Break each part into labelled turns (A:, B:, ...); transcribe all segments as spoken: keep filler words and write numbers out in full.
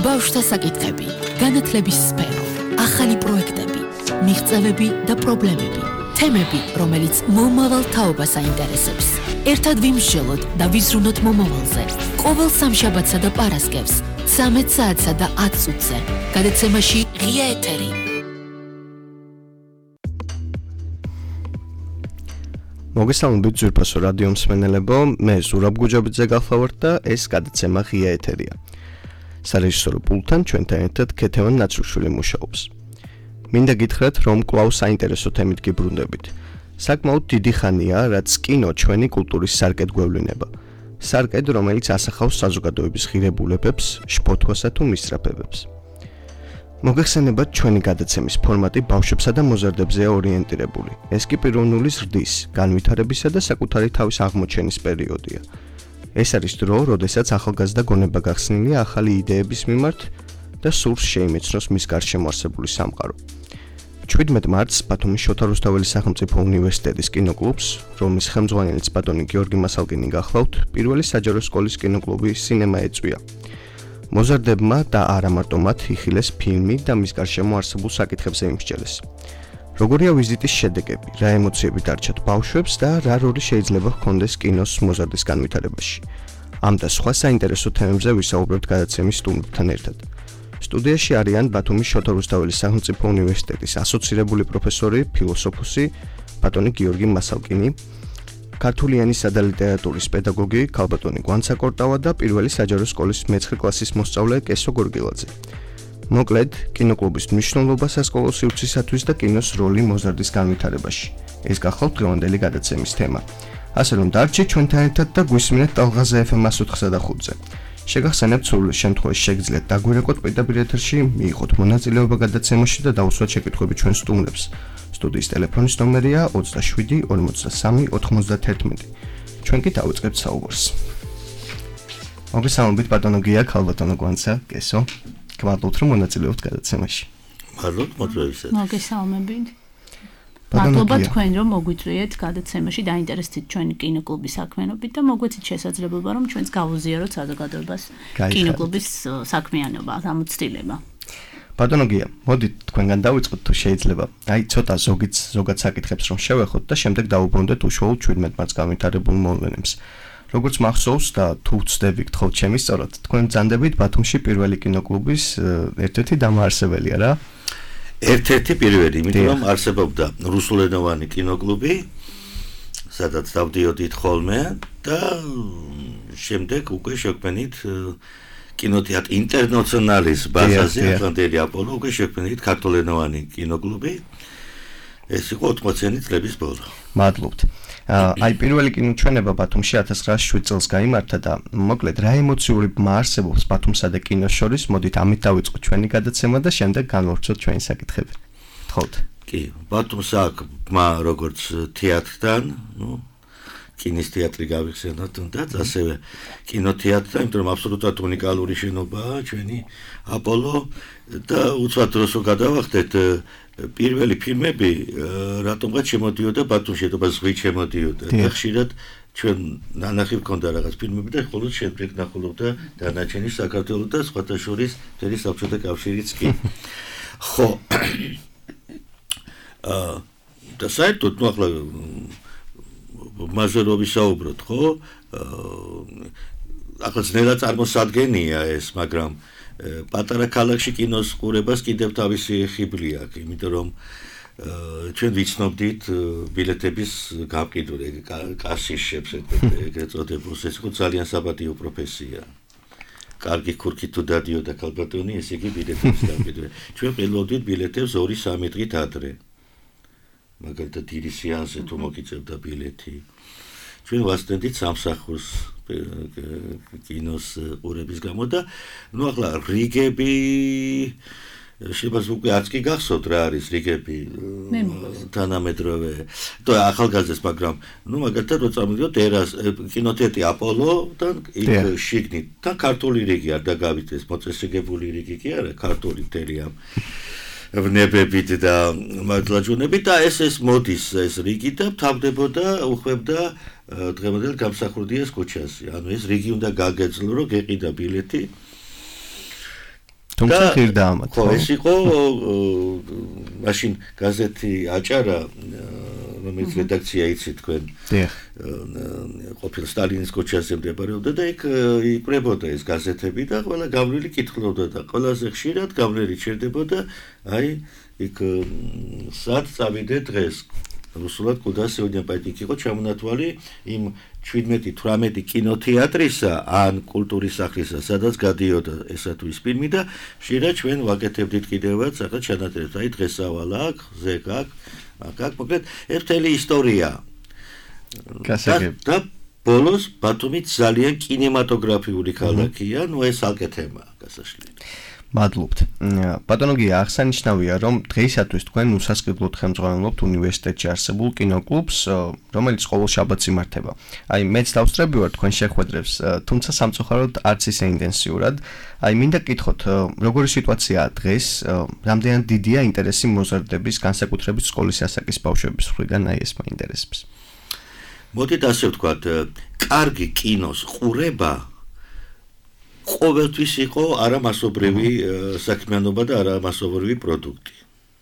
A: ბავშვთა საკითხები, განათლების სფერო, ახალი პროექტები, მიღწევები და პრობლემები, თემები, რომელიც მომავალ თაობას აინტერესებს. ერთად ვიმსჯელოთ და ვიზრუნოთ მომავალზე. ყოველ სამშაბათსა და პარასკევს, ცამეტ საათსა და ათ წუთზე. გადაცემაში ღია ეთერი.
B: მოგესალმებით ძვირფასო რადიო მსმენელებო, მე ზურაბ გუჯაბიძე გახლავართ და ეს გადაცემა ღია ეთერია. სარეჟისორო პულტთან ჩვენთან ერთად ქეთევან ნაცრუშვილი მუშაობს. მინდა გითხრათ, რომ კვლავ საინტერესო თემით გიბრუნდებით. საკმაოდ დიდი ხანია, რაც კინო ჩვენი კულტურის სარკედ გვევლინება. სარკედ, რომელიც ასახავს საზოგადოების ღირებულებებს, შფოთვასა თუ მისწრაფებებს. მოგეხსენებათ, ჩვენი გადაცემის ფორმატი ბავშვებსა და მოზარდებზეა ორიენტირებული. ეს კი პიროვნული ზრდის, განვითარებისა და საკუთარი თავის აღმოჩენის პერიოდია. ეს არის დრო, როდესაც ახალგაზრდა გონება გახსნილია ახალი იდეების მიმართ და სურს შეიმეცნოს მის გარშემო არსებული სამყარო. შვიდმეტ მარტს ბათუმის შოთა რუსთაველის სახელმწიფო უნივერსიტეტის კინოკლუბს, რომლის ხელმძღვანელიც ბატონი გიორგი მასალკინი გახლავთ, პირველი საჯარო სკოლის კინოკლუბი სინემა ეწვია. მოზარდებმა და არა მარტო მათ იხილეს ფილმი და მის გარშემო არსებულ საკითხებზე იმსჯელეს. როგორია ვიზიტის შედეგები, რა ემოციები დარჩათ ბავშვებს და რა როლი შეიძლება ჰქონდეს კინოს მოზარდის განვითარებაში. ამ და სხვა საინტერესო თემებზე ვისაუბრებთ გადაცემის სტუმრებთან ერთად. სტუდიაში არიან ბათუმის შოთა რუსთაველის სახელმწიფო უნივერსიტეტის ასოცირებული პროფესორი, ფილოსოფოსი ბატონი გიორგი მასალკინი, ქართული ენისა და ლიტერატურის პედაგოგი ქალბატონი გვანცა კორტავა და პირველი საჯარო სკოლის მეცხრე კლასის მოსწავლე კესო გორგილაძე. მოკლედ, კინოკლუბის მნიშვნელობა სასკოლო სივრცისათვის და კინოს როლი მოზარდის განვითარებაში. ეს გახლავთ დღევანდელი გადაცემის თემა. ასე რომ დარჩით ჩვენთან ერთად და გვისმინეთ ტალღაზე ეფ ემ εκατო ოთხ და ხუთზე. შეგახსენებთ, სულ შემთხვევაში შეგიძლიათ დაგვირეკოთ პირდაპირ ეთერში, მიიღოთ მონაწილეობა გადაცემაში და დაუსვათ შეკითხვები ჩვენ სტუმრებს. სტუდიის ტელეფონის ნომერია ოცდაშვიდი ორმოცდასამი ოთხმოცდათერთმეტი. ჩვენ კი დავიწყებთ საუბარს. მოგესალმებით ბატონო გია, ქალბატონო გვანცა, კესო. გმადლობთ, რომ მონაწილეობთ გადაცემაში.
C: მადლობთ მოწვევისათვის.
D: მოგესალმებით. მადლობა თქვენ, რომ მოგვიწვიეთ გადაცემაში, დაინტერესდით ჩვენი კინოკლუბის საქმიანობით და მოგვეცით შესაძლებლობა, რომ ჩვენს გავუზიაროთ საზოგადოებას კინოკლუბის საქმიანობა, ამოცდილება.
B: ბატონო გია, მოდით თქვენგან დავიწყოთ თუ შეიძლება. აი ცოტა ზოგიც ზოგად საკითხებს რომ შევეხოთ და შემდეგ დავუბრუნდეთ უშუალოდ შვიდმეტ მარტს განვითარებულ მოვლენებს. როგორც მახსოვს და თუ ვცდები გთხოვთ ჩემი სწორად, თქვენ ბრძანდებით ბათუმში პირველი კინოკლუბის ერთ-ერთი დამაარსებელია რა?
C: ერთ-ერთი პირველი, იმიტომ რომ არსებობდა რუსულენოვანი კინოკლუბი, სადაც დავდიოდით ხოლმე და შემდეგ უკვე შეგვენით კინოთეატრ ინტერნაციონალის ბაზაზე, ატლანტელი აპოლო, უკვე შეგვენით ქართულენოვანი კინოკლუბი. ეს იყო ოთხმოციანი წლების ბოლო.
B: მადლობთ. აი პირველი კინოჩვენება ბათუმში ათას ცხრაასი შვიდ წელს გაიმართა და მოკლედ რა ემოციური ბმა არსებობს ბათუმსა და კინოს შორის, მოდით ამით დავიწყოთ ჩვენი გადაცემა და შემდეგ განვავრცოთ ჩვენი საკითხები. გთხოვთ.
C: კი, ბათუმს აქვს ბმა როგორც თეატრთან, ნუ კინის თეატრი გავიხსენოთ თუნდაც, ასევე კინოთეატრთან, იმიტომ რომ აბსოლუტურად უნიკალური შენობაა ჩვენი აპოლო და უცბად დროს გადავახდეთ პირველი ფილმები რატომღაც შემოდიოდა ბათუმში, და ზღვით შემოდიოდა და ხშირად ჩვენ ნანახი გქონდა რაღაც ფილმები და მხოლოდ შემდეგ ნახულობდა დანარჩენი საქართველოს და სხვათა შორის მთელი საბჭოთა კავშირიც კი. ხო. აა და საერთოდ ნუ ახლა მასზე რო ვისაუბროთ, ხო? აა ახლა ძნელად წარმოსადგენია ეს, მაგრამ პატარა ქალაქში კინოს ყურებას კიდევ თავისი ხიბლი აქვს, იმიტომ რომ ჩვენ ვიცნობდით ბილეთების გამყიდველი, კასიშებს ეგრეთ წოდებულს, ეს იყო ძალიან საპატიო პროფესია. კარგი ქურქით თუ დადიოდა ქალბატონი, ესე იგი ბილეთების გამყიდველი. ჩვენ ყიდულობდით ბილეთებს ორი სამი დღით ადრე. მაგალითად დიდი სეანსზე თუ მოგიწევდა ბილეთი. ჩვენ ვასწრებდით სამსახურს კინოს ყურების გამო და ნუ ახლა რიგები შეიძლება უკვე არც კი გახსოვთ რა არის რიგები თანამედროვე და ახალგაზრდებს, მაგრამ ნუ მაგალითად რო წამოდიოთ ერას კინოთეატრი აპოლოდან იქ შიგნით და ქართული რიგი არ დაგავიდეს, მოწესრიგებული რიგი კი არა, ქართული მთელი ამ ვნებებით და მართლაჯუნებით და ეს ეს მოდის ეს რიგი და თავდებოდა უხვებდა დღევანდელ გამსახურდიას ქუჩაზე. ანუ ეს რიგი უნდა გაგეძლო, რომ გეყიდა ბილეთი
B: თუმცა ღირდა ამათ.
C: ხო, ეს იყო მაშინ გაზეთი აჭარა, რომელიც რედაქცია იცით თქვენ.
B: დიახ.
C: ყოფილ სტალინის ქუჩაზე მდებარეობდა და იქ იკვრებოდა ეს გაზეთები და ყველა გავლილი კითხულობდა და ყველაზე ხშირად გავლილი ჩერდებოდა აი იქ სად წავიდე დღეს. რუსულად კუდა сегодня пойти იყო ჩამონათვალი იმ შვიდმეტი თვრამეტი კინოთეატრისა ან კულტურის სახლისა, სადაც გადიოდა ესა თუ ის ფილმი და ხშირად ჩვენ ვაკეთებდით კიდევაც ახლა ჩანაწერებს. აი დღეს ავალ აქ, ზეკ აქ, აქ აქ მოკლედ ერთელი ისტორია. და ბოლოს ბათუმი ძალიან კინემატოგრაფიული ქალაქია, ნუ ეს ალკე თემაა გასაშლელი.
B: მადლობთ. ბატონო გია, აღსანიშნავია, რომ დღეისათვის თქვენ უსასყიდლოდ ხელმძღვანელობთ უნივერსიტეტში არსებულ კინოკლუბს, რომელიც ყოველ შაბათს იმართება. აი, მეც დავსწრები ვარ თქვენ შეხვედრებს, თუმცა სამწუხაროდ არც ისე ინტენსიურად. აი, მინდა გკითხოთ, როგორი სიტუაციაა დღეს, რამდენად დიდია ინტერესი მოზარდების, განსაკუთრებით სკოლის ასაკის ბავშვების მხრიდან აი ეს მაინტერესებს.
C: მოდით ასე ვთქვათ, კარგი კინოს ყურება ყოველთვის იყო არამასობრივი საქმიანობა და არამასობრივი პროდუქტი.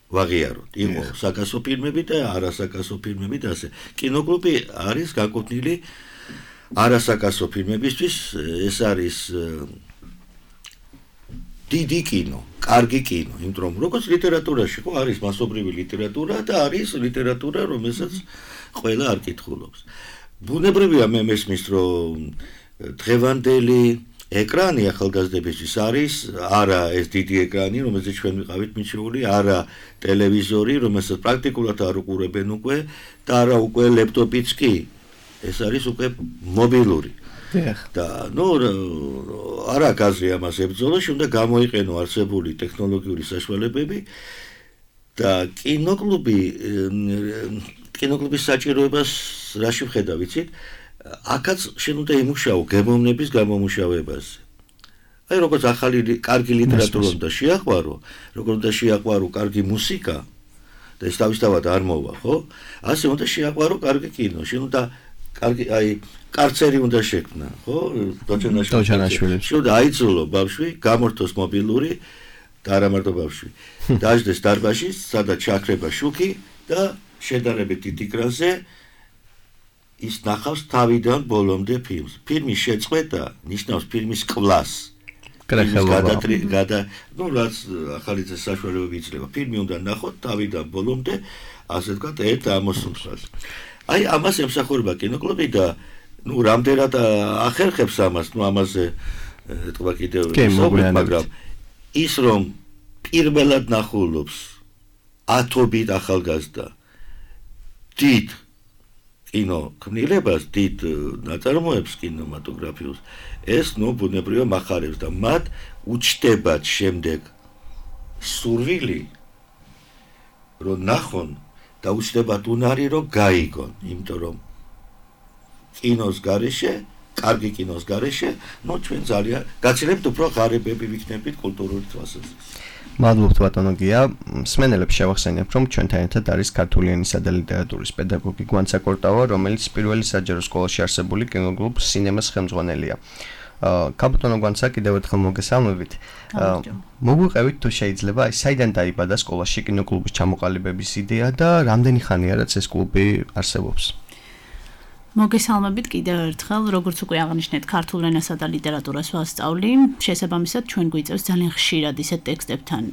C: ვაღიაროთ, იყო საკასო ფილმები და არასაკასო ფილმები და ასე. კინოკლუბი არის გაკუთვნილი არასაკასო ფილმებისთვის, ეს არის დიდი კინო, კარგი კინო, იმიტომ რომ როგორც ლიტერატურაში ხო არის მასობრივი ლიტერატურა და არის ლიტერატურა, რომელსაც ყველა არ კითხულობს. ბუნებრივია მე მესმის, რომ დღევანდელი ეკრანი ახალგაზრდებისთვის არის არა ეს დიდი ეკრანი, რომელზეც ჩვენ ვიყავით მიჩეული, არა ტელევიზორი, რომელსაც პრაქტიკულად არ უყურებენ უკვე და არა უკვე ლეპტოპიც კი. ეს არის უკვე მობილური. და ნუ არა გაზრი ამას ებრძოლოს, უნდა გამოიყენო არსებული ტექნოლოგიური საშუალებები და კინოკლუბი კინოკლუბის საჭიროებას რაში ვხედავ, ვიცით? აქაც შენ უნდა იმუშაო გემოვნების გამომუშავებაზე. აი როგორც ახალი კარგი ლიტერატურა უნდა შეაყვარო, როგორც უნდა შეაყვარო კარგი მუსიკა და ეს თავისთავად არ მოვა, ხო? ასე უნდა შეაყვარო კარგი კინო. შენ უნდა კარგი აი კარცერი უნდა შექმნა, ხო?
B: დოჩანაშვილი.
C: შენ უნდა აიძულო ბავშვი გამორთოს მობილური და არა მარტო ბავშვი. დაждდეს დარბაზში, სადაც ჩაქრება შუქი და შედარებით დიდ ეკრანზე ის ნახავს თავიდან ბოლომდე ფილმს. ფილმის შეწყვეტა ნიშნავს ფილმის კვლას. გადა, ну, რაც ახალი საშუალებები იძლევა. ფილმი უნდა ნახოთ თავიდან ბოლომდე, ასე ვთქვათ, ერთ ამოსულს. აი, ამას ემსახურება კინოკლუბი და ну, რამდენად ახერხებს ამას, ну, ამაზე ეთქვა კიდევ ისე, მაგრამ ის რომ პირველად ნახულობს ათობით ახალგაზრდა დიდ კინო ქმნილებას, დიდ ნაწარმოებს კინემატოგრაფიულს, ეს ნუ ბუნებრივია მახარებს და მათ უჩნდებათ შემდეგ სურვილი რომ ნახონ და უჩნდებათ უნარი რომ გაიგონ, იმიტომ რომ კინოს გარეშე, კარგი კინოს გარეშე, ნუ ჩვენ ძალიან გაცილებით უფრო ღარიბები ვიქნებით კულტურული თვალსაზრისით.
B: მადლობთ ბატონო გია, მსმენელებს შევახსენებ, რომ ჩვენთან ერთად არის ქართული ენისა და ლიტერატურის პედაგოგი გვანცა კორტავა, რომელიც პირველი საჯარო სკოლაში არსებული კინოკლუბ სინემას ხელმძღვანელია. კაპიტანო გვანცა კიდევ ერთხელ მოგესალმებით. მოგვიყევით თუ შეიძლება, აი საიდან დაიბადა სკოლაში კინოკლუბის ჩამოყალიბების იდეა და რამდენი ხანია რაც ეს კლუბი არსებობს?
D: მოგესალმებით კიდევ ერთხელ, როგორც უკვე აღნიშნეთ, ქართულ ენასა და ლიტერატურას ვასწავლი. შესაბამისად, ჩვენ გვიწევს ძალიან ხშირად ისეთ ტექსტებთან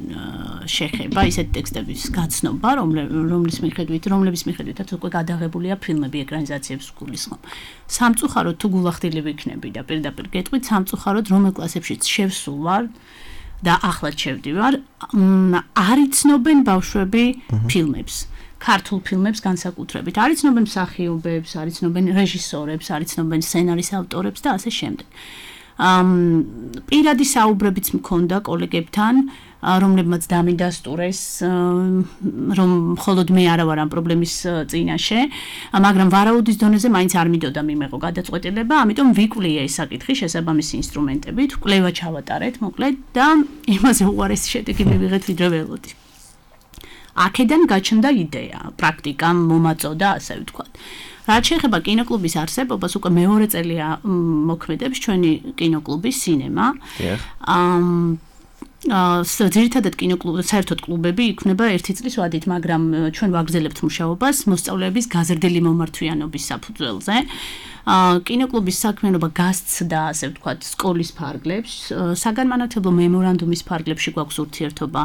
D: შეხება, ისეთ ტექსტების გაცნობა, რომლის მიხედვით, რომლების მიხედვითაც უკვე გადაღებულია ფილმები, ეკრანიზაციებს გულისხმობ. სამწუხაროდ თუ გულახდილი ვიქნები და პირდაპირ გეტყვით, სამწუხაროდ რომელ კლასებშიც შევსულ ვარ და ახლაც შევდივარ, არ იცნობენ ბავშვები ფილმებს. ქართულ ფილმებს განსაკუთრებით. არ იცნობენ მსახიობებს, არ იცნობენ რეჟისორებს, არ იცნობენ სცენარის ავტორებს და ასე შემდეგ. პირადი საუბრებიც მქონდა კოლეგებთან, რომლებმაც დამიდასტურეს, რომ მხოლოდ მე არა ვარ ამ პრობლემის წინაშე, მაგრამ ვარაუდის დონეზე მაინც არ მიდოდა მიმეღო გადაწყვეტილება, ამიტომ ვიკვლია ეს საკითხი შესაბამისი ინსტრუმენტებით, კვლევა ჩავატარეთ, მოკლედ და იმაზე უარესი შედეგი მივიღეთ, ვიდრე ველოდი. აქედან გაჩნდა იდეა, პრაქტიკა მომაწოდა, ასე ვთქვათ. რაც შეეხება კინოკლუბის არსებობას, უკვე მეორე წელია მოქმედებს ჩვენი კინოკლუბი სინემა. ძირითადად კინოკლუბი, საერთოდ კლუბები იქმნება ერთი წლის ვადით, მაგრამ ჩვენ ვაგრძელებთ მუშაობას მოსწავლეების გაზრდილი მომართვიანობის საფუძველზე. კინოკლუბის საქმიანობა გასცდა, ასე ვთქვათ, სკოლის ფარგლებს, საგანმანათლებლო მემორანდუმის ფარგლებში გვაქვს ურთიერთობა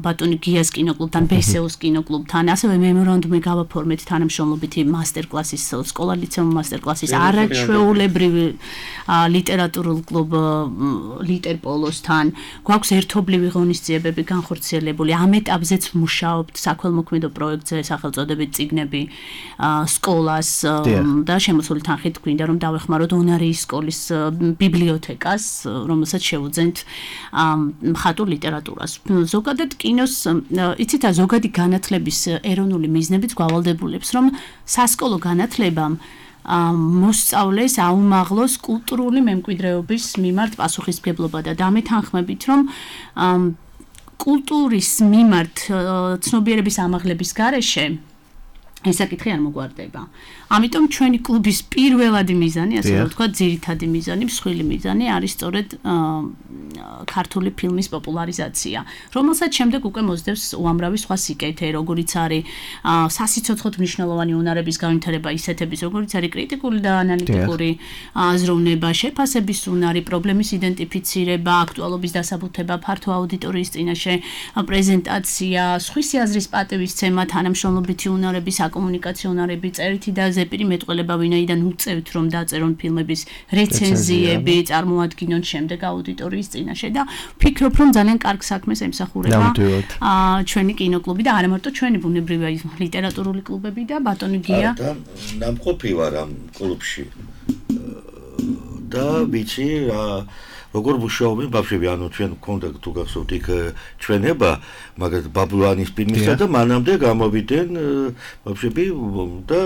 D: ბატონი გიას კინოკლუბთან, ბესეოს კინოკლუბთან, ასევე მემორანდუმი გავაფორმეთ თანამშრომლობითი მასტერკლასის, სკოლა-ლიცეუმ მასტერკლასის, არაჩვეულებრივი ლიტერატურულ კლუბ ლიტერპოლოსთან, გვაქვს ერთობლივი ღონისძიებები განხორციელებული, ამ ეტაპზეც ვმუშაობთ საქველმოქმედო პროექტზე, სახელწოდებით წიგნები სკოლას და შემოსული თანხით გვინდა რომ დავეხმაროთ უნარიის სკოლის ბიბლიოთეკას, რომელსაც შევუძენთ მხატვრულ ლიტერატურას. ზოგადად კინოს, იცით, ზოგადი განათლების ეროვნული მიზნებიც გვალდებულებს, რომ სასკოლო განათლებამ მოსწავლეს აუმაღლოს კულტურული მემკვიდრეობის მიმართ პასუხისმგებლობა და დამეთანხმებით, რომ კულტურის მიმართ ცნობიერების ამაღლების გარეშე ეს საკითხი არ მოგვარდება. ამიტომ ჩვენი კლუბის პირველადი მიზანი, ასე რომ ვთქვათ, ძირითადი მიზანი, მსხვილი მიზანი არის სწორედ ქართული ფილმის პოპულარიზაცია, რომელსაც შემდეგ უკვე მოსდევს უამრავი სხვა სიკეთე, როგორიც არის სასიცოცხლოდ მნიშვნელოვანი უნარების განვითარება ისეთების, როგორიც არის კრიტიკული და ანალიტიკური აზროვნება, შეფასების უნარი, პრობლემის იდენტიფიცირება, აქტუალობის დასაბუთება, ფართო აუდიტორიის წინაშე პრეზენტაცია, სხვისი აზრის პატივისცემა, თანამშრომლობითი უნარები, საკომუნიკაციო უნარები, წერითი და ზეპირი მეტყველება, ვინაიდან უწევთ რომ დაწერონ ფილმების რეცენზიები, წარმოადგინონ შემდეგ აუდიტორიის წინაშე და ვფიქრობ რომ ძალიან კარგ საქმეს ემსახურება ჩვენი კინოკლუბი და არა მარტო ჩვენი ბუნებრივი ლიტერატურული კლუბები და ბატონი გია
C: და ნამყოფი ვარ ამ კლუბში და ვიცი როგორ მუშაობენ ბავშვები, ანუ ჩვენ გქონდა თუ გახსოვთ იქ ჩვენება, მაგალითად ბაბლუანის ფილმისა და მანამდე გამოვიდნენ ბავშვები და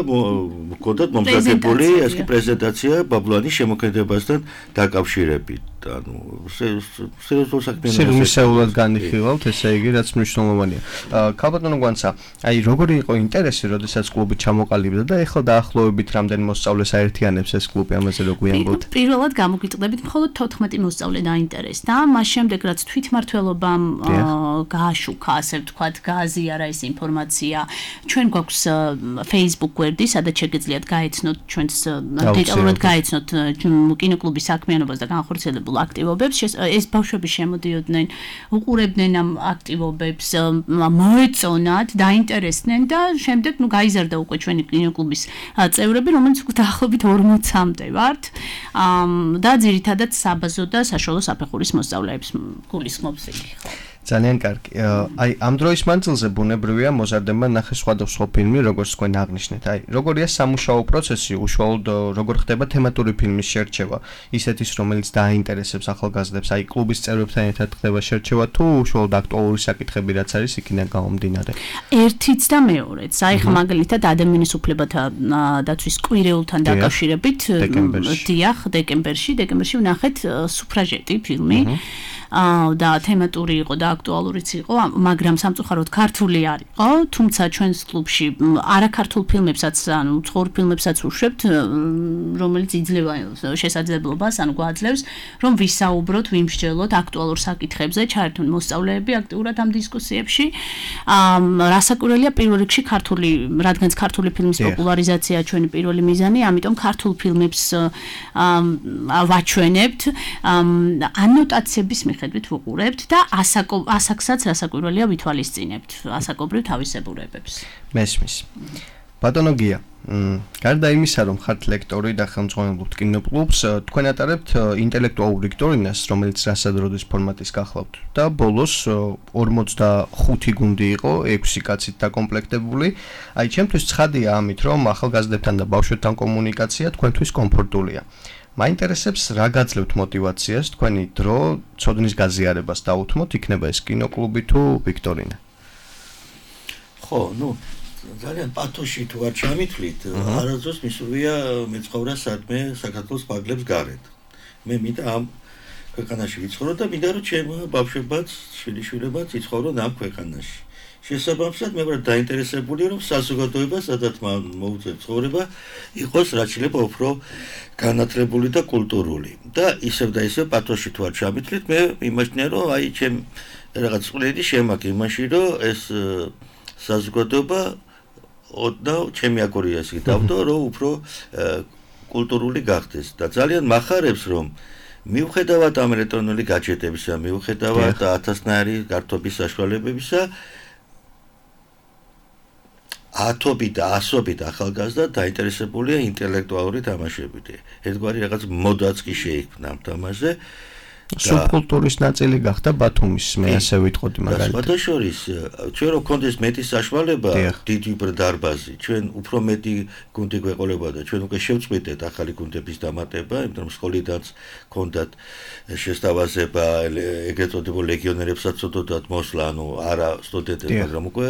C: გქონდათ მომზადებული ასეთი პრეზენტაცია ბაბლუანის შემოქმედებასთან დაკავშირებით. ანუ სერიოზულ საქმიანობას
B: სერიოზულად განიხილავთ, ესე იგი, რაც მნიშვნელოვანია. ქალბატონო გვანცა, აი როგორი იყო ინტერესი, როდესაც კლუბი ჩამოყალიბდა და ეხლა დაახლოებით რამდენი მოსწავლეს აერთიანებს ეს კლუბი, ამაზე რო გვიანბოთ?
D: პირველად გამოგიტყდებით, მხოლოდ თოთხმეტი მოსწავლე დაინტერესდა, მას შემდეგ რაც თვითმმართველობამ გააშუქა, ასე ვთქვათ, გააზიარა ეს ინფორმაცია. ჩვენ გვაქვს Facebook გვერდი, სადაც შეგეძლიათ გაეცნოთ ჩვენს დეტალურად გაეცნოთ კინოკლუბის საქმიანობას და განხორციელებულ აქტივობებს. ეს ბავშვები შემოდიოდნენ, უყურებდნენ ამ აქტივობებს, მოეწონათ, დაინტერესდნენ და შემდეგ ნუ გაიზარდა უკვე ჩვენი კინოკლუბის წევრები, რომელიც დაახლოებით ორმოცამდე ვართ. და ძირითადად საბაზო და საშუალო საფეხურის მოსწავლეებს გულისხმობს იგი.
B: ძალიან კარგი. აი ამ დროის მანძილზე ბუნებრივია მოზარდება ნახე სხვადასხვა ფილმი, როგორც თქვენ აღნიშნეთ. აი როგორია სამუშაო პროცესი, უშუალოდ როგორ ხდება თემატური ფილმის შერჩევა, ისეთის რომელიც დააინტერესებს ახალგაზრდებს, აი კლუბის წევრებთან ერთად ხდება შერჩევა თუ უშუალოდ აქტუალური საკითხები რაც არის იქიდან გამომდინარე.
D: ერთიც და მეორეც. აი ხა მაგალითად ადამიანის უფლებათა დაცვის კვირეულთან დაკავშირებით, დიახ, დეკემბერში, დეკემბერში ვნახეთ სუფრაჟეტი ფილმი. და თემატური იყო და აქტუალურიც იყო, მაგრამ სამწუხაროდ ქართული არ იყო, თუმცა ჩვენს კლუბში არაქართულ ფილმებსაც, ანუ ცხურ ფილმებსაც უშვებთ, რომელიც იძლევა შესაძლებლობას, ანუ გვაძლევს, რომ ვისაუბროთ, ვიმსჯელოთ აქტუალურ საკითხებზე, ჩაერთონ მოსწავლეები აქტიურად ამ დისკუსიებში. რასაკვირველია პირველ რიგში ქართული, რადგანაც ქართული ფილმის პოპულარიზაცია ჩვენი პირველი მიზანი, ამიტომ ქართულ ფილმებს ვაჩვენებთ, ანოტაციების მიხედვით ვუყურებთ და ასაკსაც რასაკვირველია ვითვალისწინებთ, ასაკობრივ თავისებურებებს.
B: მესმის. ბატონო გია, გარდა იმისა, რომ ხართ ლექტორი და ხელმძღვანელობთ კინოკლუბს, თქვენ ატარებთ ინტელექტუალურ ვიქტორინას, რომელიც რასადროდის ფორმატის გახლავთ და ბოლოს ორმოცდახუთი გუნდი იყო, ექვსი კაცით დაკომპლექტებული. აი, ჩემთვის ცხადია ამით, რომ ახალგაზრდებთან და ბავშვებთან კომუნიკაცია თქვენთვის კომფორტულია. მაინტერესებს რა გაძლევთ мотивაციას თქვენი დრო ცოდნის გაზიარებას დაუთმოთ, იქნება ეს კინოკლუბი თუ ვიქტორინა.
C: ხო, ну ძალიან პათოში თუ არ ჩამithვლით, არასდროს მისურვია მეცხოვრა სადმე საქართველოს ფარგლებს გარეთ. მე მინდა ამ ქვეყანაში ვიცხოვრო და მინდა რომ ჩემ ბავშვებაც, შვილიშვილებაც იცხოვრონ ამ ქვეყანაში. შესაბამისად მე ვარ დაინტერესებული რომ საზოგადოება სადაც მოუწევს ცხოვრება იყოს რაც შეიძლება უფრო განათლებული და კულტურული და ისევ და ისევ პათოში თუ არ ჩამithლით მე იმაჩნია რომ აი ჩემ რაღაც წვლილი შემაქ იმაში რომ ეს საზოგადოება ოდნავ ჩემი აგორია ისე დავდო რომ უფრო კულტურული გახდეს და ძალიან მახარებს რომ მიუხედავად ამ ელექტრონული გაჯეტებისა მიუხედავად ათასნაირი გართობის საშუალებებისა ათობით და ასობით ახალგაზრდა დაინტერესებულია ინტელექტუალური თამაშებით. ერთგვარი რაღაც მოდაც კი შეიქმნა ამ თამაშზე.
B: სუბკულტურის ნაწილი გახდა ბათუმის, მე ასე ვიტყოდი მაგალითად.
C: სხვათა შორის, ჩვენ რო გქონდეს მეტი საშუალება, დიდი დარბაზი, ჩვენ უფრო მეტი გუნდი გვეყოლებოდა, ჩვენ უკვე შევწყვიტეთ ახალი გუნდების დამატება, იმიტომ რომ სკოლიდანაც გქონდათ შესთავაზება, ეგრეთ წოდებულ ლეგიონერებსაც ოდოთ მოსვლა, ანუ არა სტუდენტებს, მაგრამ უკვე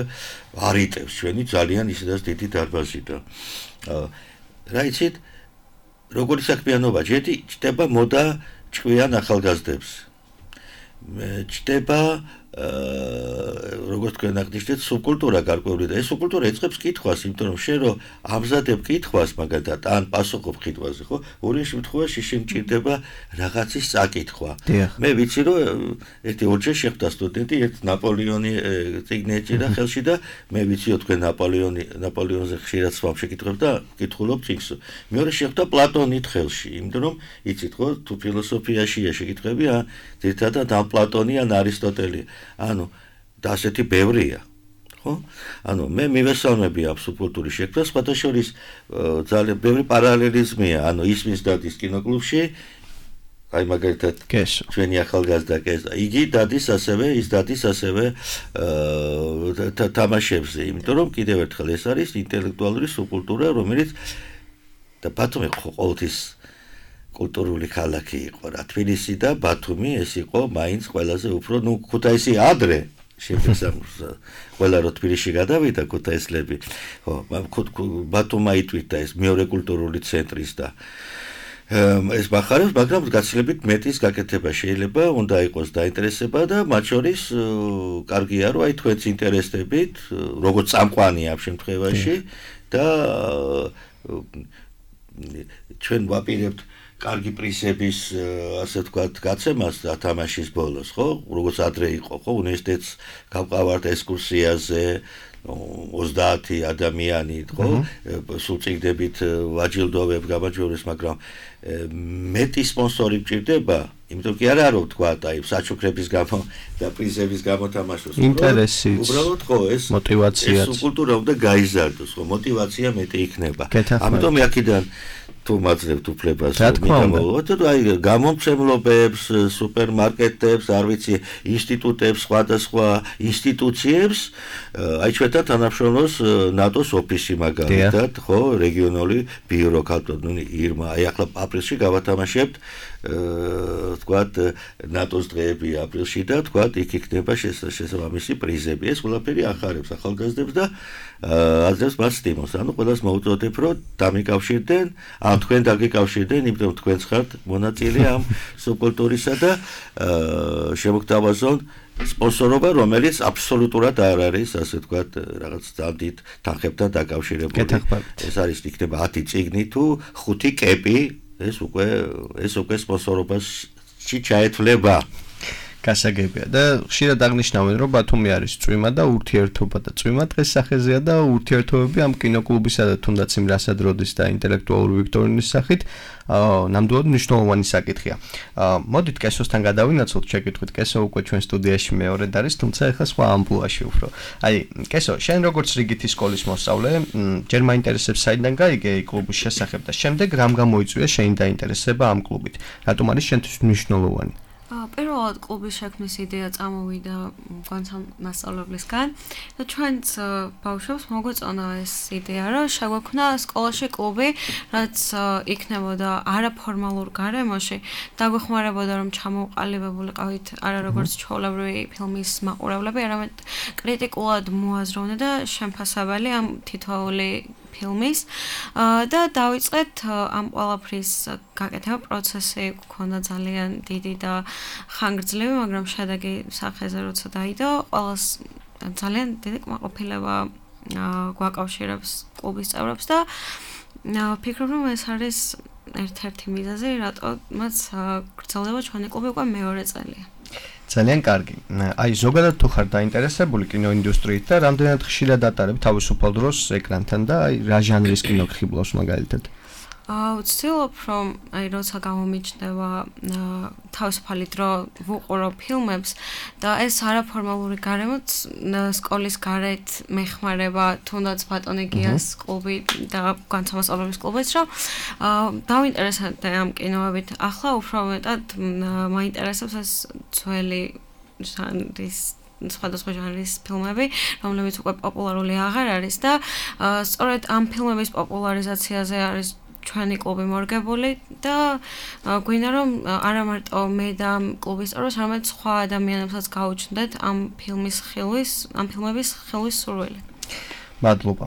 C: არ იტევს ჩვენი ძალიან ისედაც დიდი დარბაზი და რა იცით, როგორი საქმიანობა ჯეთი ჩდება მოდა ჭკვიან ახალგაზრდებს. ჩდება როგორც თქვენ აღნიშნეთ, სუბკულტურა გარკვეული და ეს სუბკულტურა ეწყებს კითხვას, იმიტომ რომ შენ რო ამზადებ კითხვას მაგალითად ან პასუხობ კითხვაზე, ხო? ორი შემთხვევაში შენ ჭირდება რაღაცის წაკითხვა. მე ვიცი რომ ერთი ორჯერ შეხვდა სტუდენტი, ერთ ნაპოლეონი წიგნი ეჭირა ხელში და მე ვიციო თქვენ ნაპოლეონი ნაპოლეონზე ხშირად სვამ შეკითხებ და კითხულობ წიგნს. მეორე შეხვდა პლატონით ხელში, იმიტომ რომ იცით ხო, თუ ფილოსოფიაშია შეკითხები, ან ძირითადად ამ პლატონი ან არისტოტელი ანუ და ასეთი ბევრია ხო ანუ მე მივესალმები ამ სუბკულტურის შექმნას სხვათა შორის ძალიან ბევრი პარალელიზმია ანუ ისმის დადის კინოკლუბში აი მაგალითად ჩვენი ახალგაზრდა კესა იგი დადის ასევე ის დადის ასევე თამაშებზე იმიტომ რომ კიდევ ერთხელ ეს არის ინტელექტუალური სუბკულტურა რომელიც და ბათუმი ყოველთვის კულტურული ქალაქი იყო რა თბილისი და ბათუმი ეს იყო მაინც ყველაზე უფრო ნუ ქუთაისი ადრე შეფასებულს ყველა რო თბილისში გადავიდა ქუთაისლები ხო ბათუმმა იტვირთა ეს მეორე კულტურული ცენტრის და ეს ბახარებს მაგრამ გაცილებით მეტის გაკეთება შეიძლება უნდა იყოს დაინტერესება და მათ შორის კარგია რომ აი თქვენს ინტერესებით როგორც წამყვანი ამ შემთხვევაში და ჩვენ ვაპირებთ კარგი პრიზების ასე ვთქვათ გაცემას თამაშის ბოლოს ხო როგორც ადრე იყო ხო უნივერსიტეტს გავყავართ ექსკურსიაზე ოცდაათი ადამიანი ხო სულ წიგნებით ვაჯილდოვებ გამარჯვებას მაგრამ მეტი სპონსორი მჭირდება იმიტომ კი არა რომ ვთქვათ აი საჩუქრების გამო და პრიზების გამო თამაშოს
B: ინტერესი
C: უბრალოდ ხო ეს
B: мотиваციაც
C: ეს კულტურა უნდა გაიზარდოს ხო мотиваცია მეტი იქნება ამიტომ აქედან თუ მაძლევთ უფლებას მითამოლოთ და აი გამომცემლობებს სუპერმარკეტებს არ ვიცი ინსტიტუტებს სხვადასხვა ინსტიტუციებს აი ჩვენთან თანამშრომლობს ნატოს ოფისი მაგალითად ხო რეგიონული ბიურო ქალბატონი ირმა აი ახლა აპრილში გავათამაშებთ ვთქვათ ნატოს დღეები აპრილში და ვთქვათ იქ იქნება შესაბამისი პრიზები ეს ყველაფერი ახარებს ახალგაზრდებს და აძლევს მას სტიმულს ანუ ყველას მოუწოდებ რომ დამიკავშირდნენ ან თქვენ დაგიკავშირდნენ იმიტომ თქვენც ხართ მონაწილე ამ სუბკულტურისა და შემოგთავაზონ სპონსორობა რომელიც აბსოლუტურად არ არის ასე ვთქვათ რაღაც ძანდით თანხებთან დაკავშირებული ეს არის იქნება ათი წიგნი თუ ხუთი კეპი ეს უკვე ეს უკვე სპონსორობაში ჩაეთვლება
B: გასაგებია და ხშირად აღნიშნავენ რომ ბათუმი არის წვიმა და ურთიერთობა და წვიმა დღეს სახეზეა და ურთიერთობები ამ კინოკლუბისა და თუნდაც იმ რასადროდის და ინტელექტუალური ვიქტორინის სახით ნამდვილად მნიშვნელოვანი საკითხია. მოდით კესოსთან გადავინაცვლოთ შეკითხვით. კესო უკვე ჩვენ სტუდიაში მეორედ არის, თუმცა ეხლა სხვა ამბულაში უფრო. აი, კესო, შენ როგორც რიგითი სკოლის მოსწავლე, ჯერ მაინტერესებს საიდან გაიგე კლუბის შესახებ და შემდეგ რამ გამოიწვია შენი დაინტერესება ამ კლუბით? რატომ არის შენთვის მნიშვნელოვანი?
E: პირველად კლუბის შექმნის იდეა წამოვიდა განსამ მასწავლებლისგან და ჩვენც ბავშვებს მოგვეწონა ეს იდეა რომ შეგვექმნა სკოლაში კლუბი რაც იქნებოდა არაფორმალურ გარემოში დაგვეხმარებოდა რომ ჩამოყალიბებულიყავით არა როგორც ჩვეულებრივი ფილმის მაყურებლები არამედ კრიტიკულად მოაზროვნე და შემფასებელი ამ თითოეული ფილმის და დავიწყეთ ამ ყველაფრის გაკეთება პროცესი გქონდა ძალიან დიდი და ხანგრძლივი, მაგრამ შედეგი სახეზე როცა დაიდო, ყველას ძალიან დიდი კმაყოფილება გვაკავშირებს კლუბის წევრებს და ვფიქრობ, რომ ეს არის ერთ-ერთი მიზეზი, რატომაც გრძელდება ჩვენი კლუბი უკვე მეორე წელია.
B: ძალიან კარგი. აი ზოგადად თუ ხარ დაინტერესებული კინოინდუსტრიით და რამდენად ხშირად ატარებ თავისუფალ დროს ეკრანთან და აი რა ჟანრის კინო ხიბლავს მაგალითად?
E: ვცდილობ, რომ აი როცა გამომიჩნდება თავისუფალი დრო ვუყურო ფილმებს და ეს არაფორმალური გარემოც სკოლის გარეთ მეხმარება თუნდაც ბატონი გიას კლუბი და განსამოსწავლებლების კლუბიც, რომ დავინტერესდე ამ კინოებით. ახლა უფრო მეტად მაინტერესებს ეს ძველი ჟანრის სხვადასხვა ჟანრის ფილმები, რომლებიც უკვე პოპულარული აღარ არის და სწორედ ამ ფილმების პოპულარიზაციაზე არის ჩვენი კლუბი მორგებული და გვინდა რომ არა მარტო მე და კლუბის წევრებს, არამედ სხვა ადამიანებსაც გაუჩნდეთ ამ ფილმის ხილვის, ამ ფილმების ხილვის სურვილი.
B: მადლობა.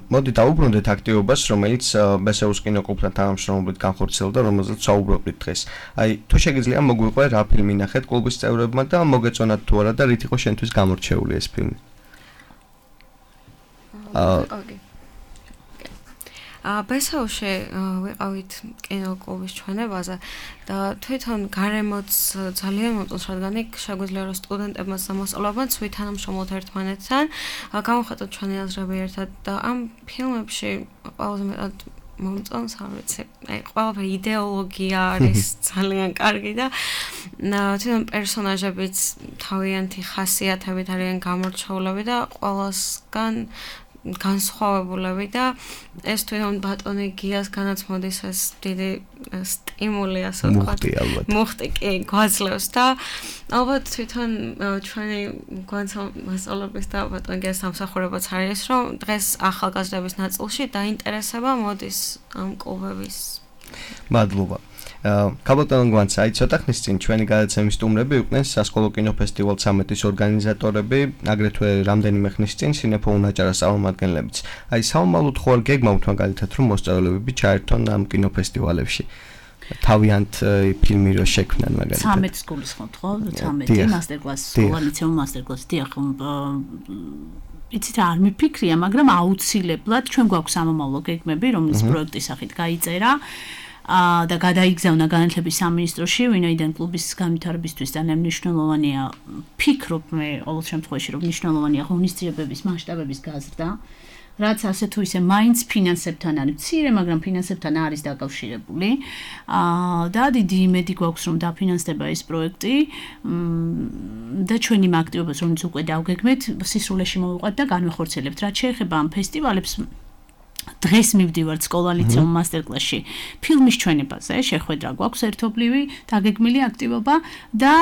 B: მოდი დავუბრუნდეთ აქტივობას, რომელიც ბესეუს კინოკლუბთან თანამშრომლობით განხორციელდა, რომელზეც საუბრობთ დღეს. აი, თუ შეგიძლია მოგვიყვე რა ფილმი ნახეთ კლუბის წევრებმა და მოგეწონათ თუ არა და რით იყო შენთვის გამორჩეული ეს ფილმი?
E: აა ბესეულში ვიყავით კინოკლუბის ჩვენებაზე და თვითონ გარემოც ძალიან მოწონს, რადგან იქ შეგვიძლია რომ სტუდენტებმაც და მოსწავლეებმაც ვითანამშრომლოთ ერთმანეთთან, გავუხატოთ ჩვენი აზრები ერთად და ამ ფილმებში ყველაზე მეტად მომწონს, არ ვიცი, აი ყველაფერი იდეოლოგია არის ძალიან კარგი და თვითონ პერსონაჟებიც თავიანთი ხასიათებით არიან გამორჩეულები და ყველასგან განსხვავებულები და ეს თვითონ ბატონი გიას განაცმოდის ეს დიდი სტიმული, ასე ვთქვათ, მუხტი კი გვაძლევს და ალბათ თვითონ ჩვენი განსამოსწავლებლების და ბატონი გიას სამსახურებაც არის, რომ დღეს ახალგაზრდების ნაწილში დაინტერესება მოდის ამ კლუბების.
B: მადლობა. კაბოტონ გვანცა, აი ცოტა ხნის წინ ჩვენი გადაცემის სტუმრები იყვნენ სასკოლო კინოფესტივალ ცამეტის ორგანიზატორები, აგრეთვე რამდენიმე ხნის წინ სინეფო უნაჭარას წარმომადგენლებიც. აი საომალოდ ხო არ გეგმავთ მაგალითად რომ მოსწავლეები ჩაერთონ ამ კინოფესტივალებში. თავიანთ ფილმი რო შექმნან მაგალითად.
D: ცამეტის სკოლის ხო თქო, ცამეტი მასტერკლასი, სკოლა ლიცეუმ მასტერკლასი, დიახ. იცით რა არ მიფიქრია, მაგრამ აუცილებლად ჩვენ გვაქვს სამომავლო გეგმები, რომლის პროექტის სახით გაიწერა. და გადაიგზავნა განათლების სამინისტროში, ვინაიდან კლუბის განვითარებისთვის ძალიან მნიშვნელოვანია, ფიქრობ მე ყოველ შემთხვევაში, რომ მნიშვნელოვანია ღონისძიებების მასშტაბების გაზრდა, რაც ასე თუ ისე მაინც ფინანსებთან არის მცირე, მაგრამ ფინანსებთან არის დაკავშირებული. და დიდი იმედი გვაქვს, რომ დაფინანსდება ეს პროექტი და ჩვენ იმ აქტივობას, რომელიც უკვე დავგეგმეთ, სისრულეში მოვიყვანთ და განვახორციელებთ. რაც შეეხება ამ ფესტივალებს, დღეს მივდივართ სკოლა ლიცეუმ მასტერკლასში ფილმის ჩვენებაზე, შეხვედრა გვაქვს ერთობლივი, დაგეგმილი აქტივობა და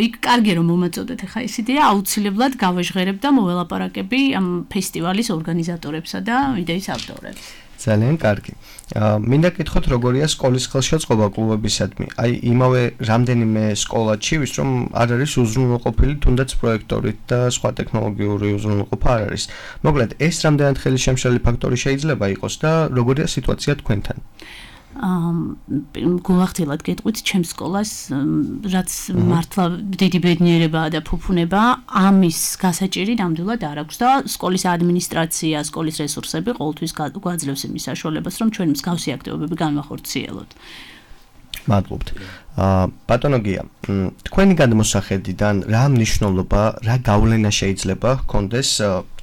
D: იქ კარგია რომ მომაწოდეთ ახლა ეს იდეა, აუცილებლად გავაჟღერებ და მოველაპარაკები ამ ფესტივალის ორგანიზატორებსა და იდეის ავტორებს.
B: ძალიან კარგი. მინდა გითხოთ როგორია სკოლის ხელშეწყობა კლუბებისადმი. აი იმავე რამდენიმე სკოლაში ვის რომ არ არის უზრუნველყოფილი თუნდაც პროექტორით და სხვა ტექნოლოგიური უზრუნველყოფა არ არის. მოკლედ ეს რამდენად ხელშემშლელი ფაქტორი შეიძლება იყოს და როგორია სიტუაცია თქვენთან?
D: გულახდილად გეტყვით ჩემს სკოლას, რაც მართლა დიდი ბედნიერებაა და ფუფუნება, ამის გასაჭირი ნამდვილად არ აქვს და სკოლის ადმინისტრაცია, სკოლის რესურსები ყოველთვის გვაძლევს იმის საშუალებას, რომ ჩვენ მსგავსი აქტივობები განვახორციელოთ.
B: მადლობთ. ბატონო გია, თქვენი გადმოსახედიდან რა მნიშვნელობა, რა გავლენა შეიძლება ჰქონდეს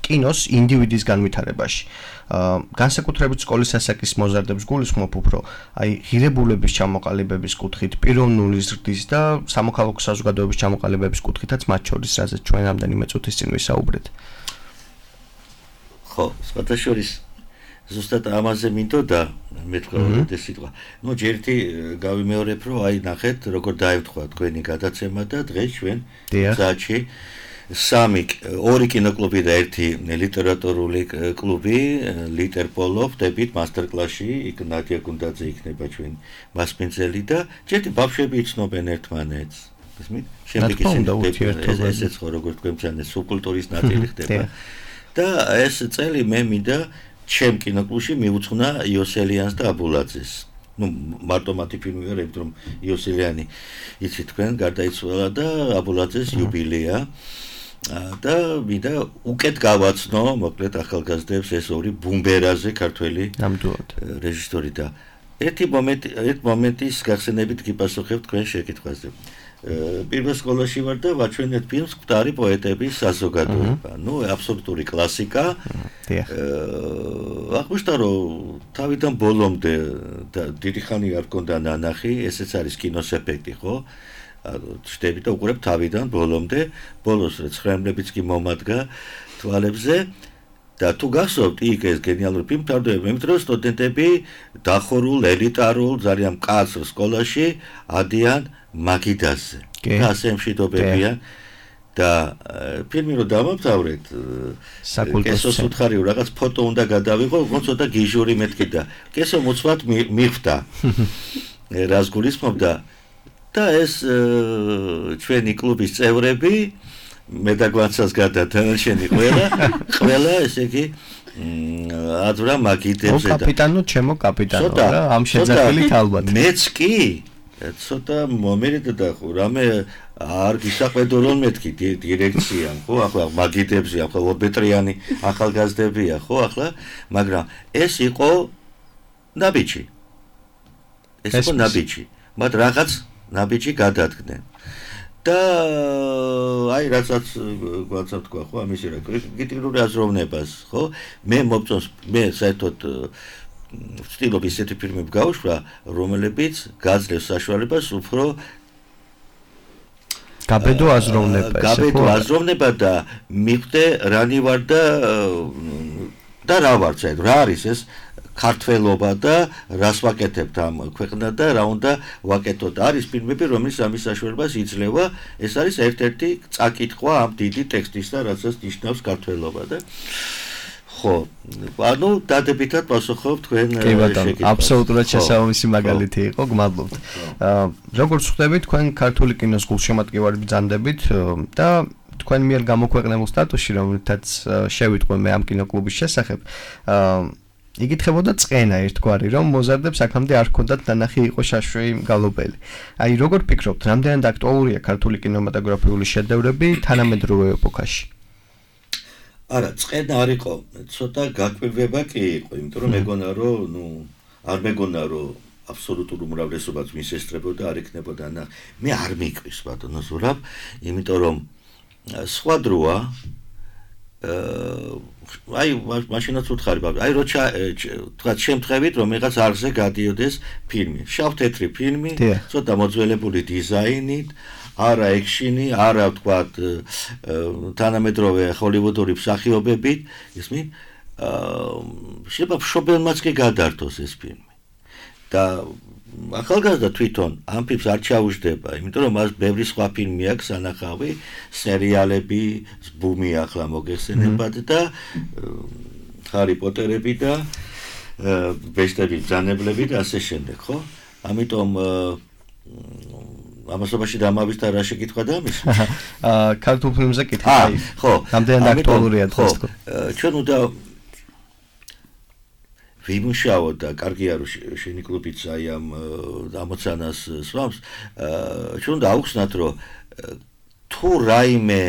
B: კინოს ინდივიდის განვითარებაში? განსაკუთრებით სკოლის ასაკის მოზარდებს გულისხმობ უფრო, აი ღირებულების ჩამოყალიბების კუთხით, პიროვნული ზრდის და სამოქალაქო საზოგადოების ჩამოყალიბების კუთხითაც მათ შორის, რაზეც ჩვენ რამდენიმე წუთის წინ ვისაუბრეთ.
C: ხო, სხვათა შორის ზუსტად ამაზე მინდოდა მეთქვა ეს სიტყვა. ნუ ჯერთი გავიმეორებ, რომ აი ნახეთ, როგორ დაევთხვა თქვენი გადაცემა და დღეს ჩვენ საათში სამი ორი კინოკლუბი და ერთი ლიტერატურული კლუბი ლიტერპოლო ვდებით მასტერკლასში, იქ ნადია გუნდაძე იქნება ჩვენ მასპინძელი და ჯერთი ბავშვები იცნობენ ერთმანეთს. ისმით? შემდეგ ისე ესეც ხო როგორ თქვენ ძალიან სუბკულტურის ნაწილი ხდება. და ეს წელი მე მინდა ჩემ კინოკლუბში მიუძღვნა იოსელიანს და აბულაძეს. ну მარტო მათი ფილმი ვერ ებდრომ იოსელიანი იცით თქვენ გარდაიცვალა და აბულაძეს იუბილეა და მინდა უკეთ გავაცნო მოკლედ ახალგაზრდებს ეს ორი ბუმბერაზე ქართველი
B: ნამდვილად
C: რეჟისორი და ერთი მომენტი ერთ მომენტის გახსენებით გიპასუხებ თქვენ შეკითხვაზე. პირველ სკოლაში ვარ და ვაჩვენეთ ფილმს მკვდარი პოეტების საზოგადოება. ნუ აბსოლუტური კლასიკა. აღმოჩნდა რომ თავიდან ბოლომდე და დიდი ხანი არ მქონდა ნანახი, ესეც არის კინოს ეფექტი, ხო? ჩდები და უყურებ თავიდან ბოლომდე, ბოლოს ცხრემლებიც კი მომადგა თვალებზე. და თუ გახსოვთ იქ ეს გენიალური ფილმი თავდება იმით რომ სტუდენტები დახურულ ელიტარულ ძალიან მკაცრ სკოლაში ადიან მაგიდაზე და ასე მშვიდობებიან და ფილმი რომ დამამთავრეთ კესოს უთხარი რაღაც ფოტო უნდა გადავიღო უფრო ცოტა გიჟური მეთქი და კესო მოწვათ მიხვდა რას გულისხმობდა და ეს ჩვენი კლუბის წევრები მე და გვაცას გადათანაშენი ყველა ყველა ესე იგი აძვრა მაგიდებზე
B: და კაპიტანო ჩემო კაპიტანო რა ამ შეძახილით ალბათ
C: მეც კი ცოტა მომერიდა ხო რამე არ გისაყედო რომ მეთქი დირექციამ ხო ახლა მაგიდებზე ახლა ორბეტრიანი ახალგაზრდებია ხო ახლა მაგრამ ეს იყო ნაბიჯი ეს იყო ნაბიჯი მათ რაღაც ნაბიჯი გადადგნენ და აი რასაც გვაცა თქვა ხო ამის რა კრიტიკული აზროვნებას ხო მე მოგწონს მე საერთოდ ვცდილობ ისეთი ფილმები გავუშვა რომელებიც გაძლევს საშუალებას უფრო
B: გაბედო აზროვნება ესე
C: გაბედო აზროვნება და მიხვდე რანი ვარ და და რა ვარ საერთოდ რა არის ეს ქართველობა და რას ვაკეთებთ ამ ქვეყნად და რა უნდა ვაკეთოთ არის ფილმები რომელიც ამის საშუალებას იძლევა ეს არის ერთ-ერთი წაკითხვა ამ დიდი ტექსტისა რასაც ნიშნავს ქართველობა და ხო ანუ დადებითად პასუხობ თქვენ
B: შეკითხვას აბსოლუტურად შესაბამისი მაგალითი იყო გმადლობთ როგორც ხვდებით თქვენ ქართული კინოს გულშემატკივარი ბრძანდებით და თქვენ მიერ გამოქვეყნებულ სტატუსში რომელთაც შევიტყვე მე ამ კინოკლუბის შესახებ იგითხებოდა წენა ერთგვარი რომ მოზარდებს აქამდე არ ჰქონდათ ნანახი იყო შაშვი გალობელი. აი როგორ ფიქრობთ, რამდენად აქტუალურია ქართული კინემატოგრაფიული შედევრები თანამედროვე ეპოქაში?
C: არა, წენა არ იყო, ცოტა გაკვირვება კი იყო, იმიტომ რომ მეგონა რომ, ნუ, არ მეგონა რომ აბსოლუტურ უმრავლესობას მისესწრებოდა, არ იქნებოდა ნახ. მე არ მიყვის ბატონო ზურაბ, იმიტომ რომ სხვა დროა აი მაშინაც უთხარი ბაბა აი როცა თქვა შემთხვევით რომ იღაც არზე გადიოდეს ფილმი შავ-თეთრი ფილმი ცოტა მოძველებული დიზაინით არა ექშენი არა თქვა თანამედროვე ჰოლივუდური მსახიობებით ისმი შეიძლება მშობელმაც კი გადართოს ეს ფილმი და ახალგაზრდა თვითონ ამ ფილმს არ ჩაუждდება, იმიტომ რომ მას ბევრი სხვა ფილმი აქვს სანახავი, სერიალები, ბუმი ახლა მოგეხსენებათ და ჰარი პოტერები და ბეჭდები ბრძანებლები და ასე შემდეგ, ხო? ამიტომ ამასობაში დამავიწყდა რა შეკითხვა და ამის?
B: აა ქართულ ფილმზე კითხავ.
C: ხო,
B: რამდენად აქტუალურია დღეს?
C: ჩვენ უნდა ვიმუშაოთ და კარგია რომ შენი კლუბიც აი ამ ამოცანას სვამს ჩვენ უნდა აუხსნათ რომ თუ რაიმე